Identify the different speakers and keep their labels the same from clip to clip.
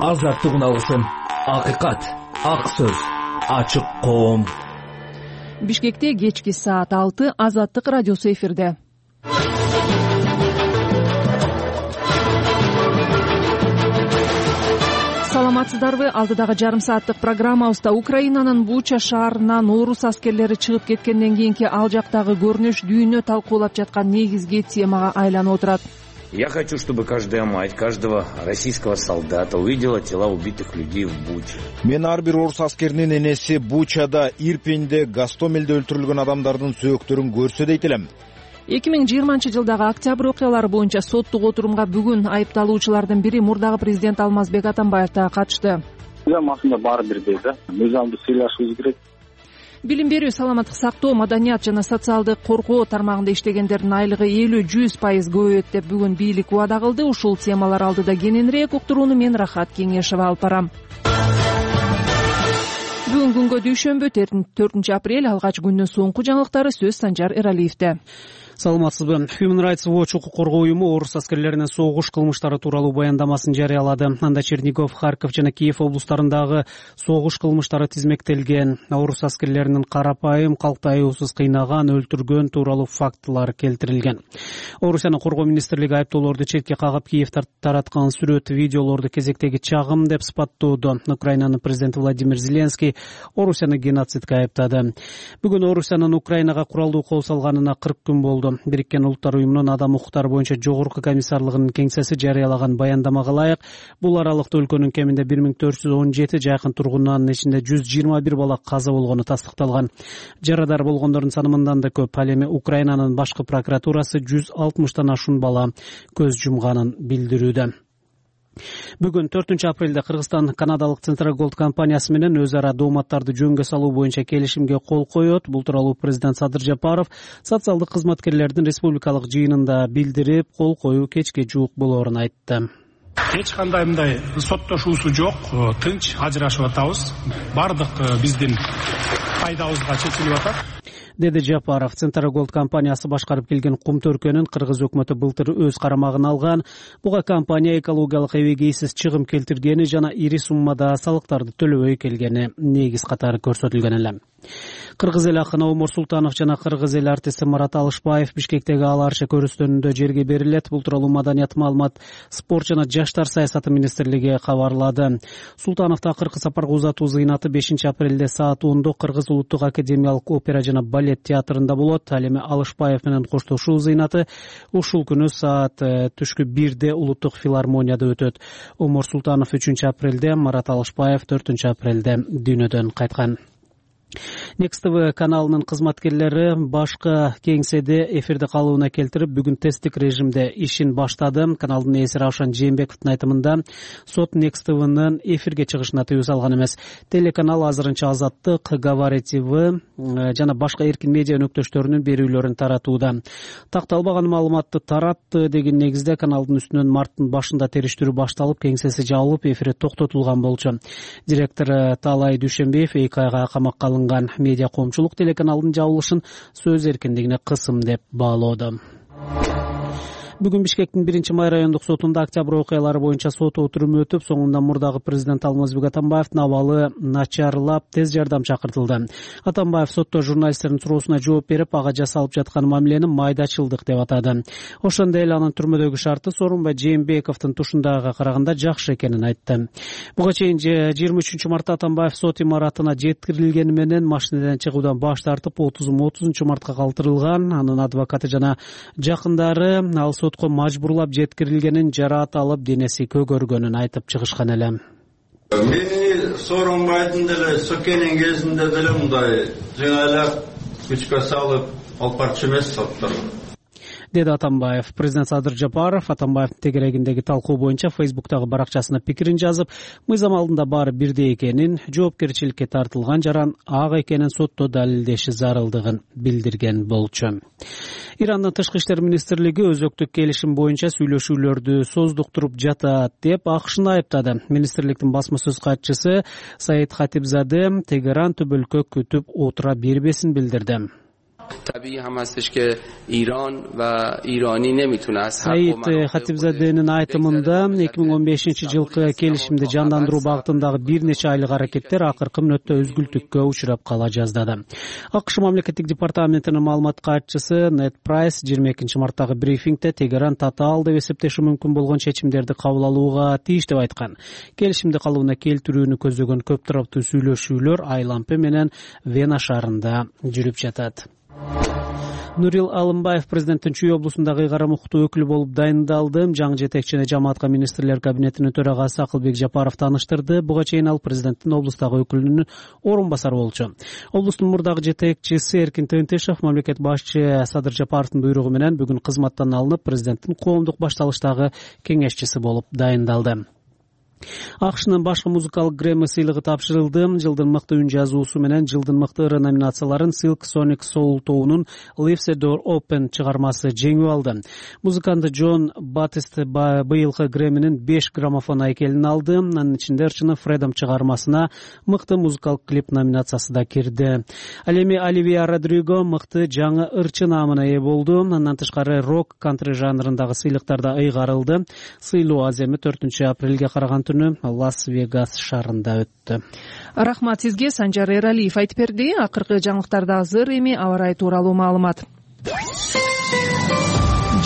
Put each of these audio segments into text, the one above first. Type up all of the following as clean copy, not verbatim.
Speaker 1: азаттык үналысын, акыйкат, ак сөз, ачык коом.
Speaker 2: Бишкекте кечки саат 6 Азаттык радиосу эфирде. Саламатсыздарбы? Алдыдагы жарым сааттык программабызда Украинанын Буча шаарынан орус аскерлери чыгып кеткенден кийинки ал жактагы көрүнүш дүйнө талкуулап жаткан негизги темага айланып отурат.
Speaker 3: Я хочу, чтобы каждая мать, каждого российского солдата увидела тела убитых людей в Буче.
Speaker 4: Мен ар бир орус аскеринин энеси Бучада, Ирпенде, Гастомелде өлтүрүлгөн адамдардын сөөктөрүн көрсө дейт элем.
Speaker 2: 2020-жылдагы октябрь окуялары боюнча соттук отурумга бүгүн айыпталуучулардын бири мурдагы президент Алмазбек Атамбаев да катышты.
Speaker 5: Масында баары бирдей да. Мыйзамды сыйлашыбыз керек.
Speaker 2: Билим берүү, саламаттык сактоо, маданият жана социалдык коргоо тармагында иштегендердин айлыгы 50-100% көбөйөт деп бүгүн бийлик убада кылды. Ушул темалар алдыда кененирээк уктурууну мен Рахат Кеңешева алып барам. Бүгүн күнгө дүйшөмбү 4 апрель, алгач күндүн соңку жаңылыктары сөз Санжар Эралиевде.
Speaker 6: Саламатсызбы? Human Rights Watch укук коргоо уюму орус аскерлеринин согуш кылмыштары тууралуу баяндамасын жарыялады. Анда Чернигов, Харьков жана Киев облустарындагы согуш кылмыштары тизмектелген. Орус аскерлеринин карапайым калкты аяусуз кыйнаган, өлтүргөн тууралуу фактылар келтирилген. Орусиянын коргоо министрлиги айыптоолорду четке кагып, Киев тараткан сүрөт, видеолорду кезектеги чагым деп сыпаттоодо. Украинанын президенти Владимир Зеленский Орусияны геноцидке айыптады. Бүгүн Орусиянын Украинага куралдуу кол салганына 40 күн болду. Бириккен Улуттар уюмунун адам укуктары боюнча жогорку комиссарлыгынын кеңсеси жарыялаган баяндамага ылайык, бул аралыкта өлкөнүн кеминде 1417 жакын тургунунун ичинде 121 бала каза болгону тастыкталган. Жарадар болгондордун саны мындан да көп. Ал эми Украинанын башкы прокуратурасы 160 ашуун бала көз жумганын билдирүүдө. Бүгүн 4 апрелде Кыргызстан канадалык Центроголд компаниясы менен өз ара дооматтарды жөнгө салуу боюнча келишимге кол коет. Бул тууралуу президент Садыр Жапаров социалдык кызматкерлердин республикалык жыйынында билдирип, кол коюу кечке жуук болоорун айтты.
Speaker 7: Эч кандай мындай соттошуусу жок, тынч ажырашып атабыз. Бардык биздин пайдабызга чечилип атат,
Speaker 6: деди Жапаров. Центроголд компаниясы башкарып келген кум төркөнүн кыргыз өкмөтү былтыр өз карамагына алган. Буга компания экологиялык эбегейсиз чыгым келтиргени жана ири суммада салыктарды төлөбөй келгени негиз катары көрсөтүлгөн эле. Кыргыз эл акыны Омор Султанов жана кыргыз эл артисти Марат Алышбаев Бишкектеги Ала Арча көрүстөнүндө жерге берилет. Бул тууралуу Маданият, маалымат, спорт жана жаштар саясаты министрлиги кабарлады. Султановду акыркы сапарга узатуу зыйнаты 5 апрелде саат 10 Кыргыз улуттук академиялык опера жана балет театрында болот. Ал эми Алышбаев менен коштошуу зыйнаты ушул күнү саат түшкү 1 улуттук филармонияда өтөт. Омор Султанов 3 апрелде, Марат Алышбаев 4 апрелде дүйнөдөн кайткан. Next TV каналынын кызматкерлери башкы кеңседе эфирде калууна келтирип, бүгүн тесттик режимде ишин баштады. Каналдын ээси Раушан Жээнбековдун айтымында сот Next TVнын эфирге чыгышына тыюу салган эмес. Телеканал азырынча Азаттык, Говори ТV жана башка эркин медиа өнөктөштөрүнүн берүүлөрүн таратууда. Такталбаган маалыматты таратты деген негизде каналдын үстүнөн марттын башында териштирүү башталып, кеңсеси жабылып, эфири токтотулган болчу. Директор Талай Дүйшөнбиев 2 айга камакка алынган. Медиа коомчулук телеканалдын жабылышын сөз эркиндигине кысым деп баалоодо. Бүгүн Бишкектин 1-май райондук сотунда октябрь окуялары боюнча сот отуруму өтүп, соңунда мурдагы президент Алмазбек Атамбаевдин абалы начарлап, тез жардам чакыртылды. Атамбаев сотто журналисттердин суроосуна жооп берип, ага жасалып жаткан мамилени майдачылдык деп атады. Ошондой эле анын түрмөдөгү шарты Сооронбай Жээнбековдун тушундагыга караганда жакшы экенин айтты. Буга чейин 23 мартта Атамбаев сот имаратына жеткирилгени менен машинадан чыгуудан баш тартып, 30 мартка калтырылган. Анын адвокаты жана жакындары ал сотко мажбурлап жеткирилгенин, жараат алып денеси көгөргөнүн айтып чыгышкан эле.
Speaker 8: Мени Сооронбайдын деле сөкенин кезинде деле мындай жыңайлап күчкө салып алып барчу эмес соттор,
Speaker 6: деди Атамбаев. Президент Садыр Жапаров Атамбаевдин тегерегиндеги талкуу боюнча Фейсбуктагы баракчасына пикирин жазып, мыйзам алдында баары бирдей экенин, жоопкерчиликке тартылган жаран ак экенин сотто далилдеши зарылдыгын билдирген болчу. Ирандын тышкы иштер министрлиги өзөктүк келишим боюнча сүйлөшүүлөрдү создуктуруп жатат деп АКШны айыптады. Министрликтин басма сөз катчысы Саид Хатибзаде Тегеран түбөлкө күтүп отура бербесин билдирди.
Speaker 9: طبیعی هم هستش که ایران و ایرانی نمیتونه از
Speaker 6: Саид Хатибзаденин айтымында 2015-жылкы келишимди жандандыруу багытындагы бир нече айлык аракеттер акыркы мүнөттө өзгүлтүккө учурап кала жаздады. АКШ мамлекеттик департаментинин маалымат катчысы Нед Прайс 22 марттагы брифингде Тегеран татаал деп эсептеши мүмкүн болгон чечимдерди кабыл алууга тийиш деп айткан. Келишимди калыбына келтирүүнү көздөгөн көп тараптуу сүйлөшүүлөр Айлампе менен Вена шаарында жүрүп жатат. Нурил Алымбаев президенттин Чүй облусундагы ыйгарым укуктуу өкүлү болуп дайындалды. Жаңы жетекчини жамаатка министрлер кабинетинин төрагасы Акылбек Жапаров тааныштырды. Буга чейин ал президенттин облустагы өкүлүнүн орун басары болчу. Облустун мурдагы жетекчиси Эркин Тентешев мамлекет башчы Садыр Жапаровдун буйругу менен бүгүн кызматтан алынып, президенттин коомдук башталыштагы кеңешчиси болуп дайындалды. АКШнын башкы музыкалык Грэмми сыйлыгы тапшырылды. Жылдын мыкты үн жазуусу менен жылдын мыкты ыры номинацияларын Silk Sonic Soul тобунун Leave the Door Open чыгармасы жеңип алды. Музыкант Джон Батист быйылкы Грэмминин 5 граммофон айкелин алды. Анын ичинде ырчыны Freedom чыгармасына мыкты музыкалык клип номинациясы да кирди. Ал эми Оливия Родриго мыкты жаңы ырчы наамына ээ болду. Андан тышкары рок, кантри жанрындагы сыйлыктар да ыйгарылды. Сыйлоо аземи 4 апрелге караган түнү Лас-Вегас шаарында өттү.
Speaker 2: Рахмат сизге. Санжар Эралиев айтып берди. Акыркы жаңылыктарда азыр эми аба ырайы тууралуу маалымат.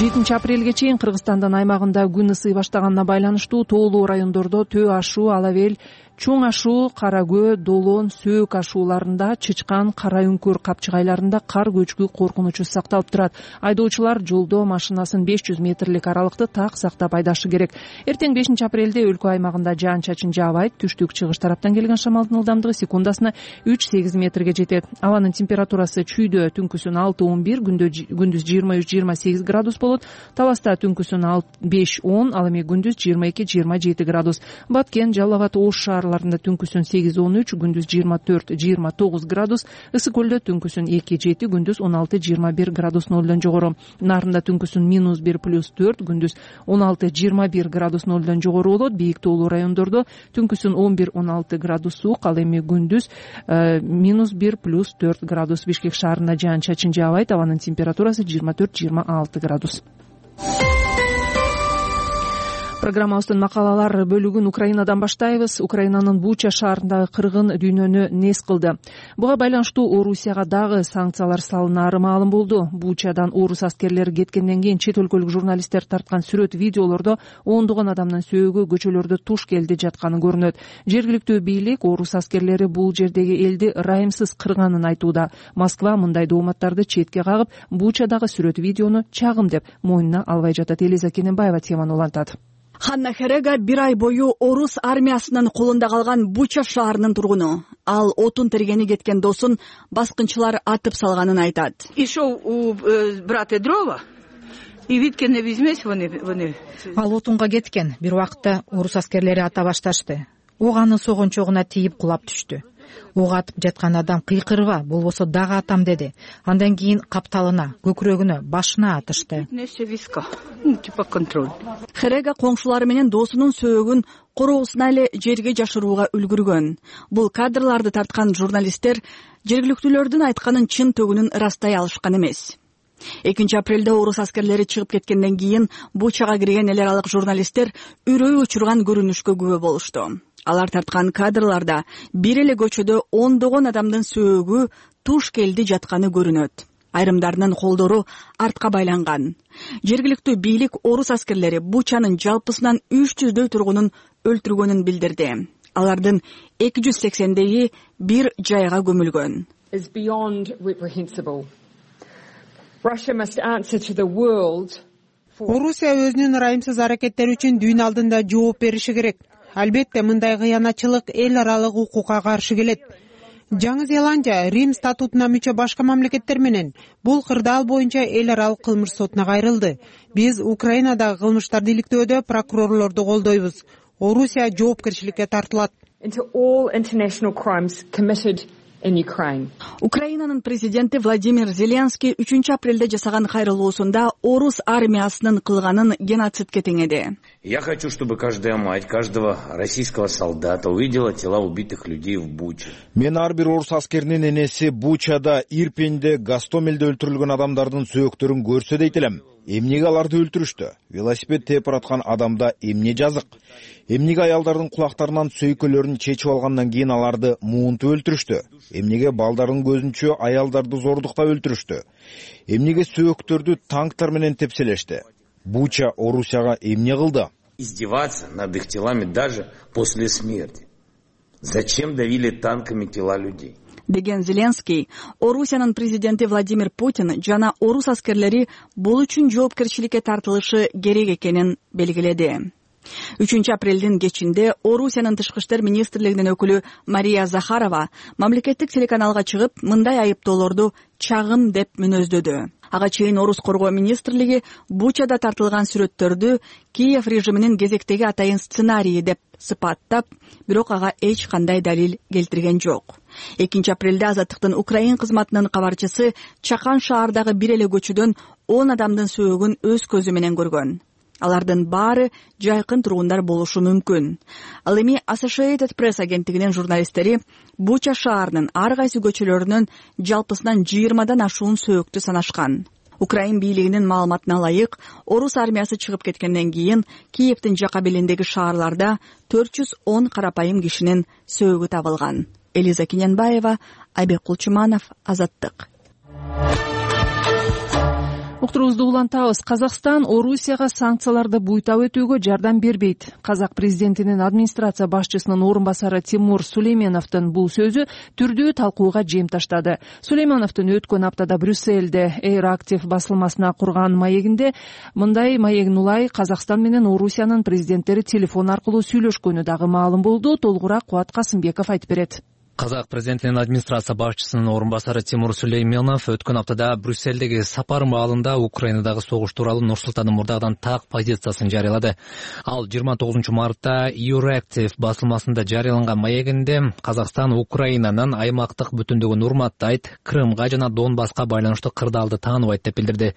Speaker 2: 7 апрелге чейин Кыргызстандын аймагында күн ысый баштаганына байланыштуу тоолуу райондордо Төө ашуу, Алабел, Чоң ашуу, Кара Көө, Долон, Сөөк ашууларында, Чычкан, Кара Үңкүр капчыгайларында кар көчкү коркунучу сакталып турат. Айдоочулар жолдо машинасын 500 метрлик аралыкты так сактап айдашы керек. Эртең 5 апрелде өлкө аймагында жаан-чачын жаабайт. Түштүк-чыгыш тараптан келген шамалдын ылдамдыгы секундасына 3-8 метрге жетет. Абанын температурасы Чүйдө түнкүсүн 6-11, күндүз 23-28 градус болот. Таласта түнкүсүн 5-10, ал эми күндүз 22-27 градус. Баткен, Жалал Абад, Ош шаарларында түнкүсүн 8-13, күндүз 24-29 градус. Ысык көлдө түнкүсүн 2-7, күндүз 16-21 градус нолдон жогору. Нарында түнкүсүн -1+4, күндүз 16-21 градус нолдон жогору болот. Бийик тоолуу райондордо түнкүсүн 11-16 градус суук, ал эми күндүз -1+4 градус. Бишкек шаарында жаан-чачын жаабайт. Абанын температурасы 24-26 градус. Программабыздын макалалар бөлүгүн Украинадан баштайбыз. Украинанын Буча шаарындагы кыргын дүйнөнү нес кылды. Буга байланыштуу Орусияга дагы санкциялар салынары маалым болду. Бучадан орус аскерлери кеткенден кийин чет өлкөлүк журналисттер тарткан сүрөт видеолордо ондогон адамдын сөөгү көчөлөрдө туш келди жатканы көрүнөт. Жергиликтүү бийлик орус аскерлери бул жердеги элди ырайымсыз кырганын айтууда. Москва мындай дооматтарды четке кагып, Бучадагы сүрөт видеону чагым деп мойнуна албай жатат. Элиза Кененбаева теманы улантат.
Speaker 10: Ханна Херега 1 ай бою орус армиясынын колунда калган Буча шаарынын тургуну. Ал отун тергени кеткен досун баскынчылар атып салганын айтат.
Speaker 11: И шоу у брата дрова. И видкен не визмес вони.
Speaker 12: Ал отунга кеткен. Бир убакытта орус аскерлери ата башташты. Ок анын согончогуна тийип кулап түштү. Ок атып жаткан адам кыйкырба, болбосо дагы атам деди. Андан кийин капталына, көкүрөгүнө, башына атышты.
Speaker 10: Херега коңшулары менен досунун сөөгүн короосуна эле жерге жашырууга үлгүргөн. Бул кадрларды тарткан журналисттер жергиликтүүлөрдүн айтканын чын төгүнүн ырастай алышкан эмес. 2 апрелде орус аскерлери чыгып кеткенден кийин Бучага кирген эл аралык журналисттер үрөй учурган көрүнүшкө күбө болушту. Алар тарткан кадрларда бир эле көчөдө ондогон адамдын сөөгү туш келди жатканы көрүнөт. Айрымдарынын колдору артка байланган. Жергиликтүү бийлик орус аскерлери Бучанын жалпысынан 300дөй тургунун өлтүргөнүн билдирди. Алардын 280дөйү бир жайга көмүлгөн.
Speaker 13: Орусия өзүнүн ырайымсыз аракеттери үчүн дүйнө алдында жооп бериши керек. Албетте мындай кыянатчылык эл аралык укукка каршы келет. Жаңы Зеландия Рим статутуна мүчө башка мамлекеттер менен бул кырдаал боюнча эл аралык кылмыш сотуна кайрылды. Биз Украинадагы кылмыштарды иликтөөдө прокурорлорду колдойбуз. Орусия жоопкерчиликке тартылат.
Speaker 10: Украинанын президенти Владимир Зеленский 3 апрелде жасаган кайрылуусунда орус армиясынын кылганын геноцидке теңеди.
Speaker 3: Я хочу, чтобы каждая мать, каждого российского солдата увидела тела убитых людей в Буче.
Speaker 4: Мен ар бир орус аскеринин энеси Бучада, Ирпенде, Гастомелде өлтүрүлгөн адамдардын сөөктөрүн көрсө дейт элем. Эмнеге аларды өлтүрүштү? Велосипед тээп бараткан адамда эмне жазык? Эмнеге аялдардын кулактарынан сөйкөлөрүн чечип алгандан кийин аларды муунтуп өлтүрүштү? Эмнеге балдардын көзүнчө аялдарды зордуктап өлтүрүштү? Эмнеге сөөктөрдү танктар менен тепселешти? Буча Орусияга эмне кылды?
Speaker 3: Издеваться над их телами даже после смерти. Зачем давили танками тела людей?
Speaker 10: Деген Зеленский, Орусиянын президенти Владимир Путин жана орус аскерлери бул үчүн жоопкерчиликке тартылышы керек экенин белгиледи. 3 апрелдин кечинде Орусиянын тышкы иштер министрлигинин өкүлү Мария Захарова мамлекеттик телеканалга чыгып, мындай айыптоолорду чагым деп мүнөздөдү. Ага чейин орус коргоо министрлиги Бучада тартылган сүрөттөрдү Киев режиминин кезектеги атайын сценарийи деп сыпаттап, бирок ага эч кандай далил келтирген жок. 2 апрелде Азаттыктын Украин кызматынын кабарчысы Чакан шаардагы бир эле көчөдөн 10 адамдын сөөгүн өз көзү менен көргөн. Алардын баары жайкын тургундар болушу мүмкүн. Ал эми Associated Press агенттигинин журналисттери Буча шаарынын ар кайсы көчөлөрүнөн жалпысынан 20дан ашуун сөөктү санашкан. Украин бийлигинин маалыматына ылайык, орус армиясы чыгып кеткенден кийин Киевдин жака белиндеги шаарларда 410 карапайым кишинин сөөгү табылган. Элиза Кененбаева, Айбек Кулчуманов, Азаттык.
Speaker 2: Уктурубузду улантабыз. Казакстан Орусияга санкцияларды буйтап өтүүгө жардам бербейт. Казак президентинин администрация башчысынын орун басары Тимур Сулейменовдун бул сөзү түрдүү талкууга жем таштады. Сулейменовдун өткөн аптада Брюссельде Air-Active басылмасына курган маегинде мындай маегин улай Казакстан менен Орусиянын президенттери телефон аркылуу сүйлөшкөнү дагы маалым болду. Толугураак Кубат Касымбеков айтып берет.
Speaker 1: Казак президентинин администрация башчысынын орун басары Тимур Сулейменов өткөн аптада Брюссельдеги сапар маалында Украинадагы согуш тууралуу Нурсултан мурдагыдан так позициясын жарыялады. Ал 29 мартта Air-Active басылмасында жарыяланган маегинде Казакстан Украинанын аймактык бүтүндүгүн урматтайт, Крымга жана Донбасска байланыштуу кырдаалды тааныбайт деп билдирди.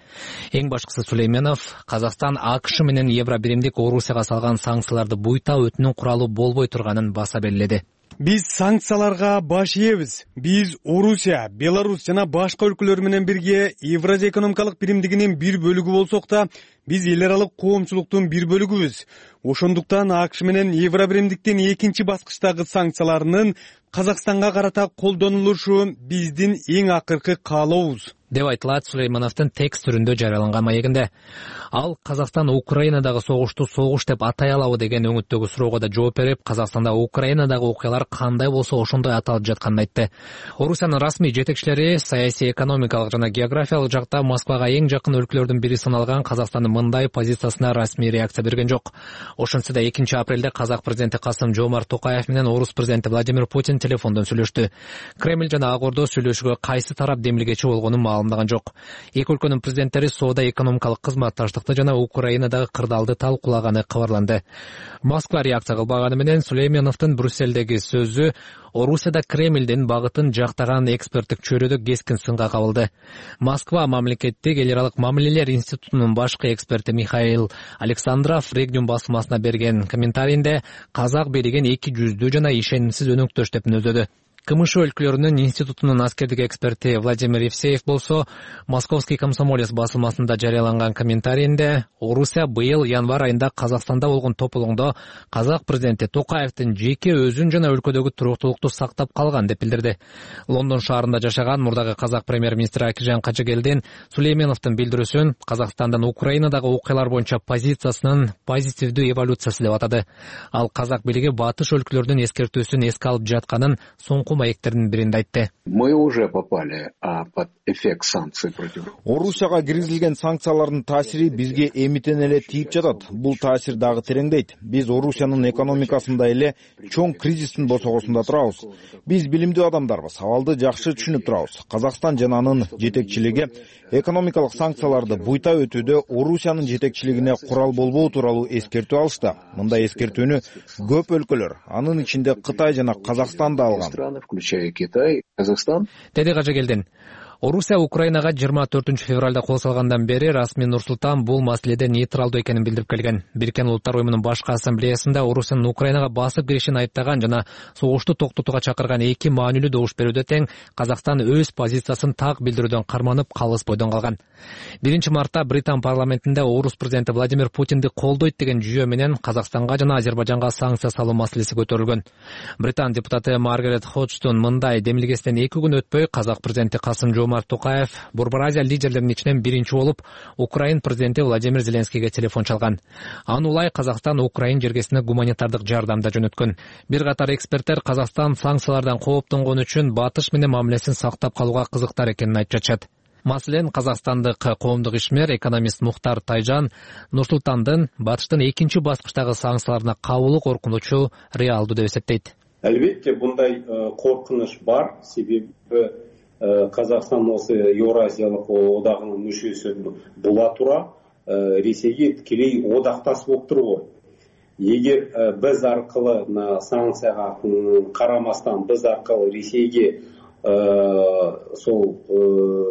Speaker 1: Эң башкысы Сулейменов Казакстан АКШ менен Евробиримдик Орусияга салган санкцияларды буйтап өтүүнүн куралы болбой турганын баса белгиледи.
Speaker 14: Биз санкцияларга баш ийебиз. Биз Орусия, Беларусь жана башка өлкөлөр менен бирге Евразия экономикалык биримдигинин бир бөлүгү болсок да, биз эл аралык коомчулуктун бир бөлүгүбүз. Ошондуктан АКШ менен Евробиримдиктин экинчи баскычтагы санкцияларынын Казакстанга карата колдонулушу биздин эң акыркы каалообуз
Speaker 1: деп айтылат Сулеймановдун текст түрүндө жарыяланган маегинде. Ал Казакстан Украинадагы согушту согуш деп атай алабы деген өңүттөгү суроого да жооп берип, Казакстанда Украинадагы окуялар кандай болсо ошондой аталып жатканын айтты. Орусиянын расмий жетекчилери саясий, экономикалык жана географиялык жакта Москвага эң жакын өлкөлөрдүн бири саналган Казакстандын мындай позициясына расмий реакция берген жок. Ошентсе да 2 апрелде Казак президенти Касым-Жомарт Токаев менен орус президенти Владимир Путин телефондон сүйлөштү. Кремль жана Ак Ордо сүйлөшүүгө кайсы тарап демилгечи болгонун маалымдаган жок. Эки өлкөнүн президенттери соода-экономикалык кызматташтыкты жана Украинадагы кырдаалды талкуулаганы кабарланды. Москва реакция кылбаганы менен Сулейменовдун Брюссельдеги сөзү Орусияда Кремлдин багытын жактаган эксперттик чөйрөдө кескин сынга кабылды. Москва мамлекеттик эл аралык мамилелер институтунун башкы эксперти Михаил Александров Регион басылмасына берген комментарийинде Казак берген эки жүздүү жана ишенимсиз өнөктөш деп мүнөздөдү. КМШ өлкөлөрүнүн институтунун аскердик эксперти Владимир Евсеев болсо, Московский комсомолец басылмасында жарыяланган комментарийинде Орусия быйыл январь айында Казакстанда болгон тополоңдо Казак президенти Токаевдин жеке өзүн жана өлкөдөгү туруктуулукту сактап калган деп билдирди. Лондон шаарында жашаган мурдагы Казак премьер-министри Акижан Кажыгелдин Сулейменовдун билдирүүсүн Казакстандан Украинадагы окуялар боюнча позициясынын позитивдүү эволюциясы деп атады. Ал Казак бийлиги батыш өлкөлөрдүн эскертүүсүн эске алып жатканын соңку маектердин биринде айтты.
Speaker 15: Мы уже попали под эффект санкций против.
Speaker 4: Орусияга киргизилген санкциялардын таасири бизге эмитен эле тийип жатат. Бул таасир дагы тереңдейт. Биз Орусиянын экономикасында эле чоң кризистин босогосунда турабыз. Биз билимдүү адамдарбыз, абалды жакшы түшүнүп турабыз. Казакстан жана анын жетекчилиги экономикалык санкцияларды буйтап өтүүдө Орусиянын жетекчилигине курал болбоо тууралуу эскертүү алышты. Мындай эскертүүнү көп өлкөлөр, анын ичинде Кытай жана Казакстан да алган.
Speaker 15: включая Китай, Казахстан.
Speaker 1: Деди Кажыгелдин. Орусия Украинага 24 февралда кол салгандан бери расмий Нур-Султан бул маселеде нейтралдуу экенин билдирип келген. Бириккен Улуттар уюмунун башкы ассамблеясында Орусиянын Украинага басып киришин айыптаган жана согушту токтотууга чакырган эки маанилүү добуш берүүдө тең Казакстан өз позициясын так билдирүүдөн карманып, калыс бойдон калган. 1 мартта Британ парламентинде Орус президенти Владимир Путинди колдойт деген жүйө менен Казакстанга жана Азербайжанга санкция салуу маселеси көтөрүлгөн. Британ депутаты Маргарет Ходжтон мындай демилгесинен 2 күн өтпөй казак президенти Касым-Жомарт Токаев Борбор Азия лидерлеринин ичинен биринчи болуп Украин президенти Владимир Зеленскийге телефон чалган. Аны улай Казакстан Украин жергесине гуманитардык жардамда жөнөткөн. Бир катар эксперттер Казакстан санкциялардан кооптонгон үчүн Батыш менен мамилесин сактап калууга кызыктар экенин айтып жатышат. Маселен, казакстандык коомдук ишмер, экономист Мухтар Тайжан Нур-Султандын Батыштын экинчи баскычтагы санкцияларына кабылуу коркунучу реалдуу деп эсептейт.
Speaker 16: Албетте мындай коркунуч бар, себеби Казакстан осы Евразиялык одагынын мүчөсү була тура Ресейге тикелей одактас болуп турбайбы. Эгер биз аркылы санкцияга карамастан биз аркылы Ресейге сол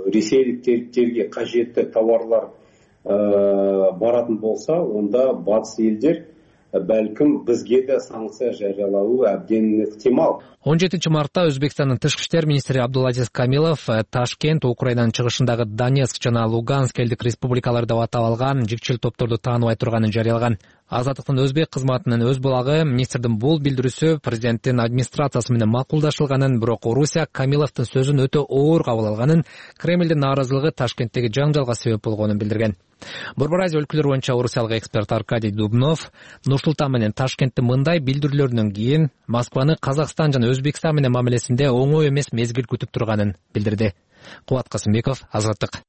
Speaker 16: ресейликтерге кажетті товарлар баратын болса, онда батыс елдер бәлкім бізге де санкция жариялауы әбден ықтимал.
Speaker 1: 17 мартта Өзбекстандын тышкы иштер министри Абдулазиз Камилов Ташкент, Украинанын чыгышындагы Донецк жана Луганск элдик республикалар деп аталган жикчил топторду тааныбай турганын жарыялаган. Азаттыктын өзбек кызматынын өз булагы министрдин бул билдирүүсү президенттин администрациясы менен макулдашылганын, бирок Орусия Камиловдун сөзүн өтө оор кабыл алганын, Кремлдин нааразылыгы Ташкенттеги жаңжалга себеп болгонун билдирген. Борбор Азия өлкөлөрү боюнча орусиялык эксперт Аркадий Дубнов Нур-Султан менен Ташкенттин мындай билдирүүлөрүнөн кийин Москваны Казакстан жана Өзбекстан менен мамилесинде оңой эмес мезгил күтүп турганын билдирди. Кубат Касымбеков, Азаттык.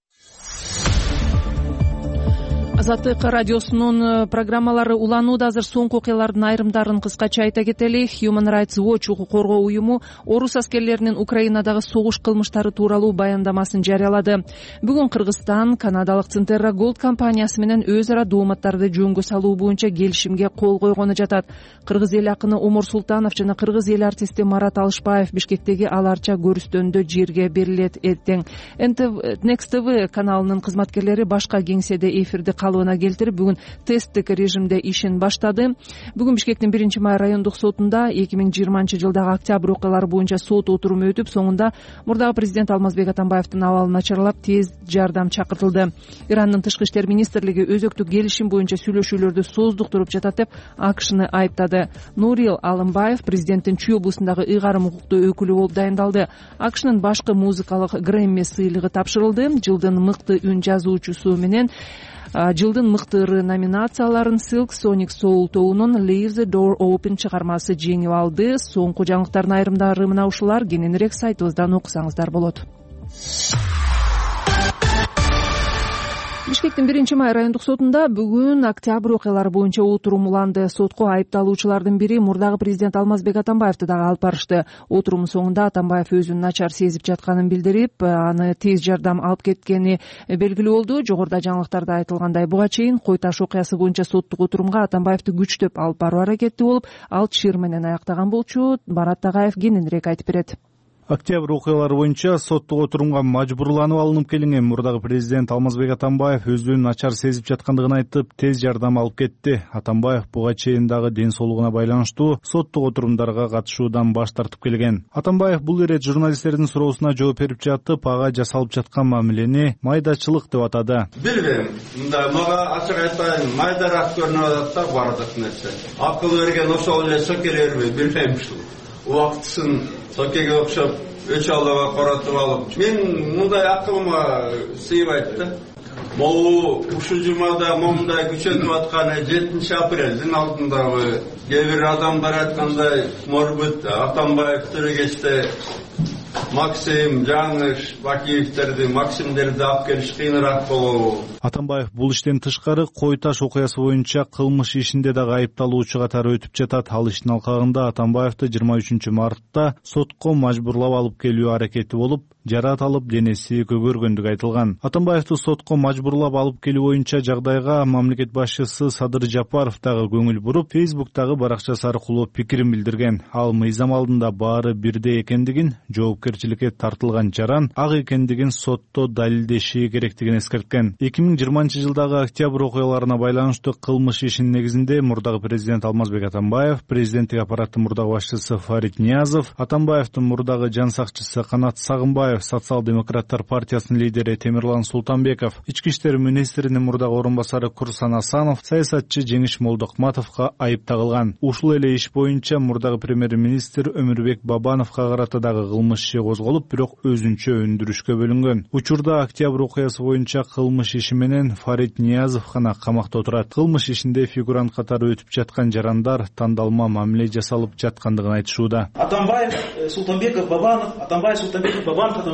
Speaker 2: Азаттык радиосунун программалары уланууда. Азыр соңку окуялардын айрымдарын кыскача айта кетели. Human Rights Watch укук коргоо уюму орус аскерлеринин Украинадагы согуш кылмыштары тууралуу баяндамасын жарыялады. Бүгүн Кыргызстан канадалык Центерра Голд компаниясы менен өз ара дооматтарды жөнгө салуу боюнча келишимге кол койгону жатат. Кыргыз эл акыны Омур Султанов жана кыргыз эл артисти Марат Алышбаев Бишкектеги аларча көрүстөндө жерге берилет. Эртең Next TV каналынын кызматкерлери башка кеңседе эфирди калыбына келтирип, бүгүн тесттик режимде ишин баштады. Бүгүн Бишкектин 1-май райондук сотунда 2020 жылдагы октябрь окуялары боюнча сот отуруму өтүп, соңунда мурдагы президент Алмазбек Атамбаевдин абалы начарлап, тез жардам чакыртылды. Ирандын тышкы иштер министрлиги өзөктүк келишим боюнча сүйлөшүүлөрдү создуктуруп жатат деп АКШны айыптады. Нурил Алымбаев президенттин Чүй облусундагы ыйгарым укуктуу өкүлү болуп дайындалды. АКШнын башкы музыкалык Грэмми сыйлыгы тапшырылды. Жылдын мыкты үн жазуучусу менен жылдын мыкты ыры номинацияларын Silk Sonic Soul тобунун Leave the Door Open чыгармасы жеңип алды. Соңку жаңылыктардын айрымдары мына ушулар. Кененирээк сайтыбыздан окусаңыздар болот. Бишкектин 1-май райондук сотунда бүгүн октябрь окуялары боюнча отурум уланды. Сотко айыпталуучулардын бири мурдагы президент Алмазбек Атамбаевди дагы алып барышты. Отурумдун соңунда Атамбаев өзүн начар сезип жатканын билдирип, аны тез жардам алып кеткени белгилүү болду. Жогоруда жаңылыктарда айтылгандай, буга чейин Кой Таш окуясы боюнча соттук отурумга Атамбаевди күчтөп алып баруу аракети болуп, ал чыр менен аяктаган болчу. Барат Тагаев кененирээк айтып берет.
Speaker 17: Октябрь окуялары боюнча соттук отурумга мажбурланып алынып келинген мурдагы президент Алмазбек Атамбаев өзүн начар сезип жаткандыгын айтып, тез жардам алып кетти. Атамбаев буга чейин дагы ден соолугуна байланыштуу соттук отурумдарга катышуудан баш тартып келген. Атамбаев бул ирет журналисттердин суроосуна жооп берип жатып, ага жасалып жаткан мамилени майдачылык деп атады.
Speaker 8: Билбейм, мында мага ачык айтайын, майдараак көрүнүп атат да бардык нерсе. Акыл берген ошол эле сокелерби билбейм ушул. Убактысын сокеге окшоп өч аллага каратып алып, мен мындай акылыма сыйбайт да. Могу ушул жумада момундай күчөтүп атканы 7 апрелдин алдындагы кээ бир адамдар айткандай, может, Атамбаев тирегечте Максим, Жаңыш, Бакиевтерди, Максимдерди алып келиш кыйыныраак болобу?
Speaker 17: Атамбаев бул иштен тышкары Кой Таш окуясы боюнча кылмыш ишинде дагы айыпталуучу катары өтүп жатат. Ал иштин алкагында Атамбаевди 23 мартта сотко мажбурлап алып келүү аракети болуп, жараат алып денеси көгөргөндүгү айтылган. Атамбаевди сотко мажбурлап алып келүү боюнча жагдайга мамлекет башчысы Садыр Жапаров дагы көңүл буруп, Фейсбуктагы баракчасы аркылуу пикирин билдирген. Ал мыйзам алдында баары бирдей экендигин, жоопкерчиликке тартылган жаран ак экендигин сотто далилдеши керектигин эскерткен. 2020-жылдагы октябрь окуяларына байланыштуу кылмыш ишинин негизинде мурдагы президент Алмазбек Атамбаев, президенттик аппараттын мурдагы башчысы Фарид Ниязов, Атамбаевдин мурдагы жан сакчысы Канат Сагынбаев, социал-демократтар партиясынын лидери Темирлан Султанбеков, ички иштер министринин мурдагы орун басары Курсан Асанов, саясатчы Жеңиш Молдокматовго айып тагылган. Ушул эле иш боюнча мурдагы премьер-министр Өмүрбек Бабановго карата дагы кылмыш иши козголуп, бирок өзүнчө өндүрүшкө бөлүнгөн. Учурда октябрь окуясы боюнча кылмыш иши менен Фарид Ниязов гана камакта отурат. Кылмыш ишинде фигурант катары өтүп жаткан жарандар тандалма мамиле жасалып жаткандыгын айтышууда.
Speaker 18: Атамбаев, Султанбеков, Бабанов, Атамбаев, Султанбеков, Бабанов.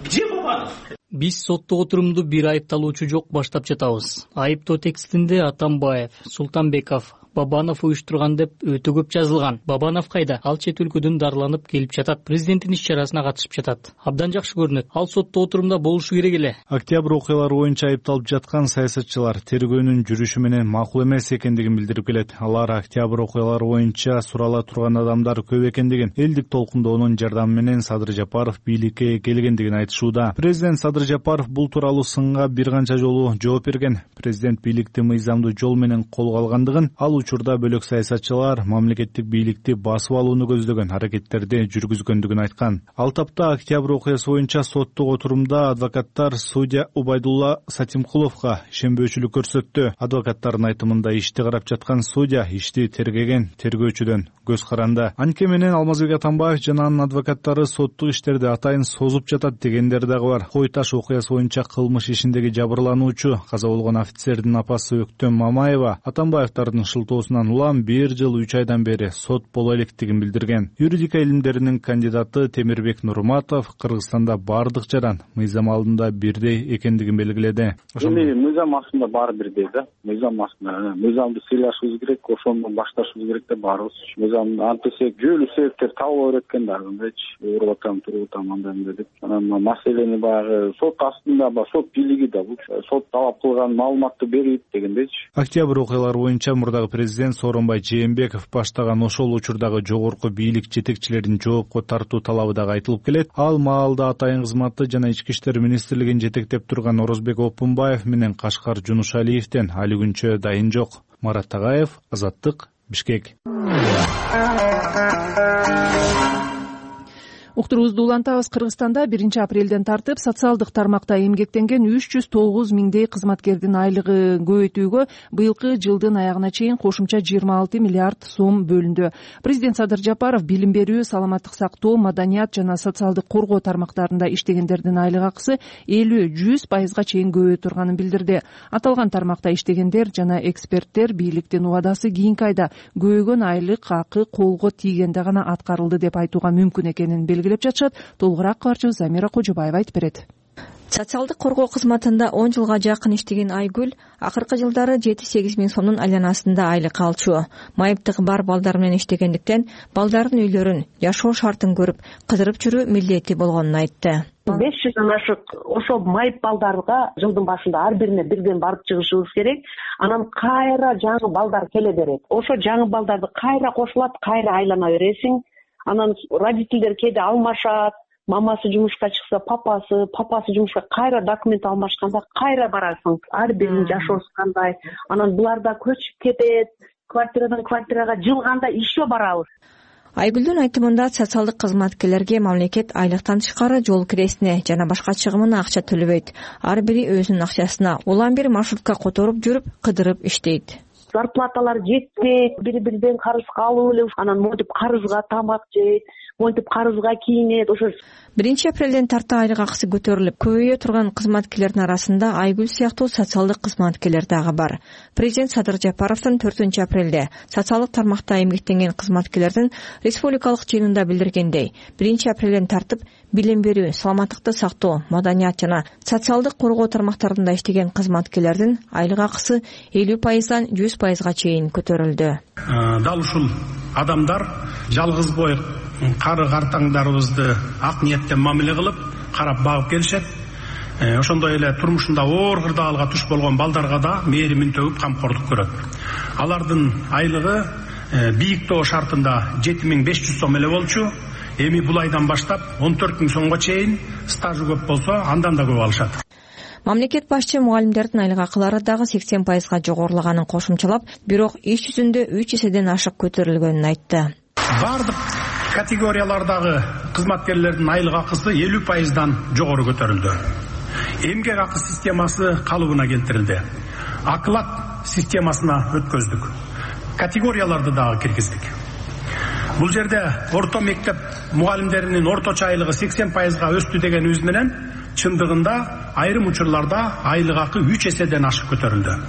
Speaker 18: Где Бабанов?
Speaker 19: Биз соттук отурумду бир айыпталуучу жок баштап жатабыз. Айыптоо текстинде Атамбаев, Султанбеков, Бабанов уюштурган деп өтө көп жазылган. Бабанов кайда? Ал чет өлкөдөн дарыланып келип жатат. Президенттин иш чарасына катышып жатат. Абдан жакшы көрүнөт. Ал соттоо отурумда болушу керек эле.
Speaker 17: Октябрь окуялары боюнча айыпталып жаткан саясатчылар тергөөнүн жүрүшү менен макул эмес экендигин билдирип келет. Алар октябрь окуялары боюнча сурала турган адамдар көп экендигин, элдик толкундоонун жардамы менен Садыр Жапаров бийликке келгендигин айтышууда. Президент Садыр Жапаров бул тууралуу сынга бир канча жолу жооп берген. Президент бийликти мыйзамдуу жол менен колго алгандыгын, ал учурда бөлөк саясатчылар мамлекеттик бийликти басып алууну көздөгөн аракеттерди жүргүзгөндүгүн айткан. Ал тапта октябрь окуясы боюнча соттук отурумда адвокаттар судья Убайдулла Сатимкуловго ишенбөөчүлүк көрсөттү. Адвокаттардын айтымында ишти карап жаткан судья ишти тергеген тергөөчүдөн көз каранды. Анткени менен Алмазбек Атамбаев жана анын адвокаттары соттук иштерди атайын созуп жатат дегендер дагы бар. Кой таш окуясы боюнча кылмыш ишиндеги жабырлануучу каза болгон офицердин апасы Өктөм Мамаева Атамбаевдардын шылтоосунан улам 1 жыл 3 айдан бери сот боло электигин билдирген. Юридика илимдеринин кандидаты Темирбек Нурматов Кыргызстанда бардык жаран мыйзам алдында бирдей экендигин белгиледи.
Speaker 5: Мыйзам астында баары бирдей да. Мыйзам астында мыйзамды сыйлашыбыз керек, ошондон башташыбыз керек да баарыбыз. Мыйзам антисек жөлү себептер табыла берет экен да, мындайчы ооруп атам, туруп атам андай деп. Анан маселени баягы сот астында сот бийлиги да бул сот талап кылган маалыматты берип дегендейчи.
Speaker 17: Октябрь окуялары боюнча мурдагы президент Сооронбай Жээнбеков баштаган ошол учурдагы жогорку бийлик жетекчилерин жоопко тартуу талабы дагы айтылып келет. Ал маалда атайын кызматты жана ички иштер министрлигин жетектеп турган Орозбек Опунбаев менен Кашкар Жунушалиевден али күнчө дайын жок. Марат Тагаев, Азаттык, Бишкек.
Speaker 2: Уктуруубузду улантабыз. Кыргызстанда 1 апрелден тартып социалдык тармакта эмгектенген 309 миңдей кызматкердин айлыгы көбөйтүүгө быйылкы жылдын аягына чейин кошумча 26 миллиард сом бөлүндү. Президент Садыр Жапаров билим берүү, саламаттык сактоо, маданият жана социалдык коргоо тармактарында иштегендердин айлык акысы 50-100% чейин көбөйө турганын билдирди. Аталган тармакта иштегендер жана эксперттер бийликтин убадасы кийинки айда көбөйгөн айлык акы колго тийгенде гана аткарылды деп айтууга мүмкүн экенин белгилеп жатышат. Толугураак кабарчыбыз Замира Кожобаева айтып берет.
Speaker 20: Социалдык коргоо кызматында 10 жылга жакын иштеген Айгүл акыркы жылдары 7-8 миң сомдун айланасында айлык алчу. Майыптыгы бар балдар менен иштегендиктен балдардын үйлөрүн, жашоо шартын көрүп, кыдырып жүрүү милдети болгонун айтты.
Speaker 21: 500 ашык ошол майып балдарга жылдын башында ар бирине бирден барып чыгышыбыз керек. Анан кайра жаңы балдар келе берет. Ошо жаңы балдарды кайра кошулат, кайра айлана бересиң. Анан родителдер кээде алмашат. Мамасы жумушка чыкса, папасы жумушка кайра документ алмашканда кайра барасың. Ар биринин жашоосу кандай. Анан булар да көчүп кетет. Квартирадан квартирага жылганда еще барабыз.
Speaker 20: Айгүлдүн айтымында социалдык кызматкерлерге мамлекет айлыктан тышкары жол киресине жана башка чыгымына акча төлөбөйт. Ар бири өзүнүн акчасына улам бир маршрутка которуп жүрүп, кыдырып иштейт.
Speaker 21: Зарплаталар жетпейт, бири-бириден карызга алып эле, анан монтип карызга тамак жейт, монтип карызга кийинет. Ошо
Speaker 20: 1 апрелден тарта айлык акысы көтөрүлүп, көбөйө турган кызматкерлердин арасында Айгүл сыяктуу социалдык кызматкерлер дагы бар. Президент Садыр Жапаровдун 4 апрелде социалдык тармакта эмгектенген кызматкерлердин республикалык жыйынында билдиргендей, 1 апрелден тартып билим берүү, саламаттыкты сактоо, маданият жана социалдык коргоо тармактарында иштеген кызматкерлердин айлык акысы 50%-дан 100%га чейин көтөрүлдү.
Speaker 7: Дал ушул адамдар жалгыз бой кары картаңдарыбызды ак ниеттен мамиле кылып, карап багып келишет. Ошондой эле турмушунда оор кырдаалга туш болгон балдарга да мээримин төгүп камкордук көрөт. Алардын айлыгы бийик тоо шартында 7500 сом эле болчу. Эми бул айдан баштап 14000 сомго чейин, стажы көп болсо андан да көп алышат.
Speaker 20: Мамлекет башчы мугалимдердин айлык акылары дагы 80% жогорулаганын кошумчалап, бирок иш жүзүндө 3 эседен ашык көтөрүлгөнүн айтты.
Speaker 7: Бардык категориялардагы кызматкерлердин айлык акысы 50%дан жогору көтөрүлдү. Эмгек акы системасы калыбына келтирилди. Аклат системасына өткөздүк. Категорияларды дагы киргиздик. Бул жерде орто мектеп мугалимдеринин орточо айлыгы 80%га өстү дегенибиз менен чындыгында айрым учурларда айлык акы 3 эседен ашык көтөрүлдү.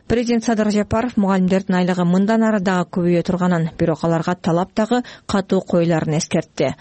Speaker 20: Президент Садыр Жапаров мугалимдердин айлыгы мындан ары дагы көбөйө турганын, бирок аларга талап дагы катуу коюларын эскертти.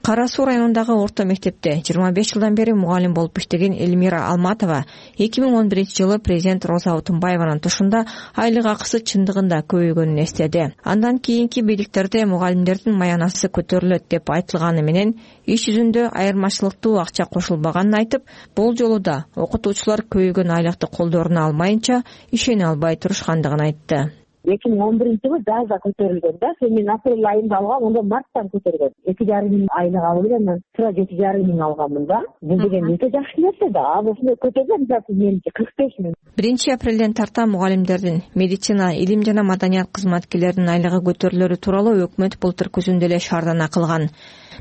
Speaker 20: Кара Суу районундагы орто мектепте 25 жылдан бери мугалим болуп иштеген Элмира Алматова 2011-жылы президент Роза Отунбаеванын тушунда айлык акысы чындыгында көбөйгөнүн эстеди. Андан кийинки бийликтерде мугалимдердин маянасы көтөрүлөт деп айтылганы менен иш жүзүндө айырмачылыктуу акча кошулбаганын айтып, бул жолу да окутуучулар көбөйгөн айлыкты колдоруна алмайынча ишене албай турушкандыгын айтты.
Speaker 21: 2011-жылы жазда көтөрүлгөн да, мен апрель айында алгам, онда марттан көтөргөн. 2,5 миң айлык алып элем, мен тура 7,5 миң алгаммын да. Бул деген өтө жакшы нерсе да. Ошондой көтөргөн меники 45 миң. 1-апрелден тарта мугалимдердин, медицина, илим жана маданият кызматкерлеринин айлыгы көтөрүлөрү тууралуу өкмөт былтыр күзүндө эле шаардана кылган.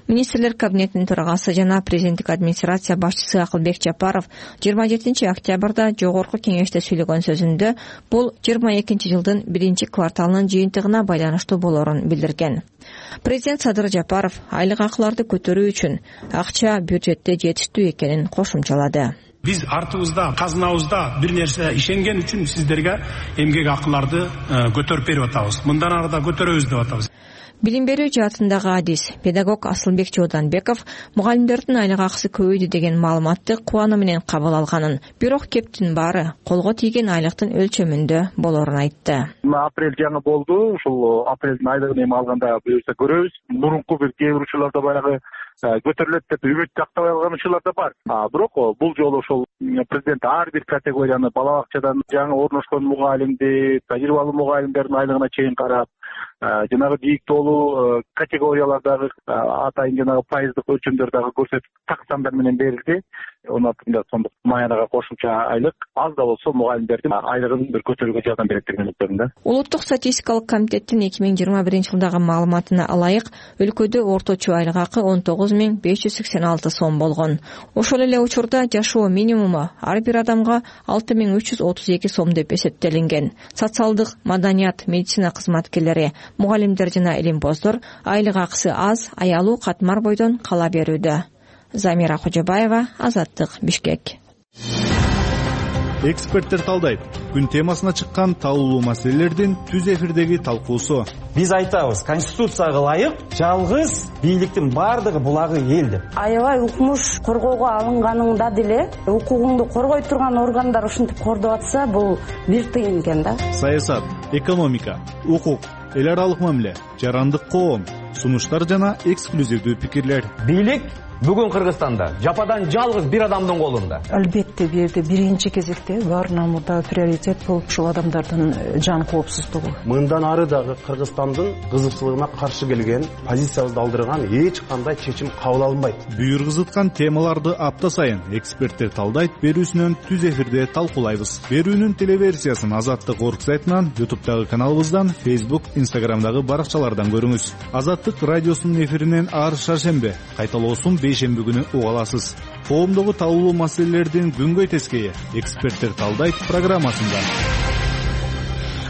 Speaker 21: Министрлер кабинетинин төрагасы жана президенттик администрация башчысы Акылбек Жапаров 27 октябрда жогорку кеңеште сүйлөгөн сөзүндө бул 22-жылдын 1-кварталынын жыйынтыгына байланыштуу болорун билдирген. Президент Садыр Жапаров айлык акыларды көтөрүү үчүн акча бюджетте жетиштүү экенин кошумчалады.
Speaker 7: Биз артыбызда, казынабызда бир нерсе ишенген үчүн сиздерге эмгек акыларды көтөрүп берип атабыз. Мындан ары да көтөрөбүз деп атабыз.
Speaker 20: Билим берүү жаатындагы адис, педагог Асылбек Чооданбеков мугалимдердин айлык акысы көбөйдү деген маалыматты кубануу менен кабыл алганын, бирок кептин баары колго тийген айлыктын өлчөмүндө болорун айтты.
Speaker 9: Апрель жаңы болду, ушул апрелдин айлыгын эми алганда буюрса көрөбүз. Мурунку бир кээ бир учурларда баягы көтөрүлөт деп үмүт тактабай алган учурлар да бар. Бирок бул жолу ошол президент ар бир категорияны бала бакчадан жаңы орношкон мугалимди, тажрыйбалуу мугалимдердин айлыгына чейин карап, жанагы бийик тоолуу категориялардагы атайын жанагы пайыздык өлчөмдөрдөгү көрсөтүп так сандар менен берилди. 16 сомдук маянага кошумча айлык аз да болсо мугалимдердин айлыгын бир көтөрүүгө жардам берет деген үмүттөмүн.
Speaker 20: Улуттук статистикалык комитеттин 2021-жылдагы маалыматына ылайык өлкөдө орточо айлык акы 19.586 сом болгон. Ошол эле учурда жашоо минимуму ар бир адамга 6.332 сом деп эсептелинген. Социалдык, маданият, медицина кызматкерлери, мугалимдер жана илимпоздор айлык акысы аз, аялуу катмар бойдон кала берүүдө. Замира Кожобаева, Азаттык, Бишкек.
Speaker 17: Эксперттер талдайт. Күн темасына чыккан талкуулуу маселелердин түз эфирдеги талкуусу.
Speaker 22: Биз айтабыз, конституцияга ылайык жалгыз бийликтин бардыгы булагы эл деп.
Speaker 23: Аябай укмуш коргоого алынганыңда деле укугуңду коргой турган органдар ушинтип кордоп атса, бул бир тыйын экен да.
Speaker 17: Саясат, экономика, укук, эл аралык мамиле, жарандык коом, сунуштар жана эксклюзивдүү пикирлер.
Speaker 22: Бийлик бүгүн Кыргызстанда жападан жалгыз бир адамдын колунда.
Speaker 24: Албетте бул жерде биринчи кезекте баарынан мурда приоритет бул ушул адамдардын жан коопсуздугу.
Speaker 25: Мындан ары дагы Кыргызстандын кызыкчылыгына каршы келген, позициябызды алдырган эч кандай чечим кабыл алынбайт.
Speaker 17: Бүйүр кызыткан темаларды апта сайын эксперттер талдайт берүүсүнөн түз эфирде талкуулайбыз. Берүүнүн телеверсиясын Азаттык орг сайтынан, YouTube'дагы каналыбыздан, Facebook, Instagram'дагы баракчалардан көрүңүз. Азаттык радиосунун эфиринен ар шаршембе, кайталоосун бейшемби күнү уга аласыз. Коомдогу талкуулуу маселелердин күнгөй тескейи эксперттер талдайт программасында.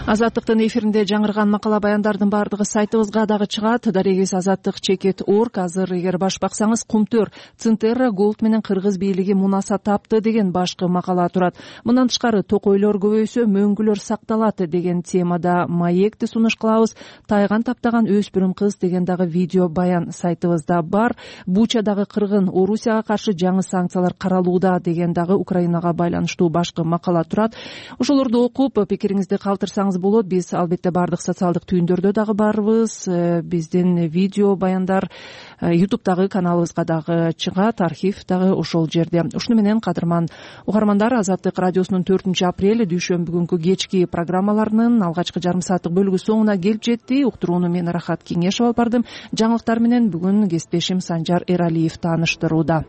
Speaker 2: Азаттыктын эфиринде жаңырган макала баяндардын баардыгы сайтыбызга дагы чыгат. Дарегиз azattik.org. Азыр эгер баш баксаңыз, Кумтөр Цинтерра Голд менен кыргыз бийлиги мунаса тапты деген башкы макала турат. Мындан тышкары токойлор көбөйсө мөңгүлөр сакталат деген темада маекти сунуш кылабыз. Тайган таптаган өспүрүм кыз деген дагы видео баян сайтыбызда бар. Бучадагы кыргын Орусияга каршы жаңы санкциялар каралууда деген дагы Украинага байланыштуу башкы макала турат. Ошолорду окуп пикириңизди калтырсаңыз кааласаңыз болот. Биз албетте баардык социалдык түйүндөрдө дагы барбыз. Биздин видео баяндар YouTube'дагы каналыбызга дагы чыгат, архив дагы ошол жерде. Ушуну менен кадырман угармандар, Азаттык радиосунун 4-апрель дүйшөмбү күнкү кечки программаларынын алгачкы жарым сааттык бөлүгү соңуна келип жетти. Уктурууну мен Рахат Кеңешова алып бардым. Жаңылыктар менен бүгүн кесиптешим Санжар Эралиев тааныштырууда.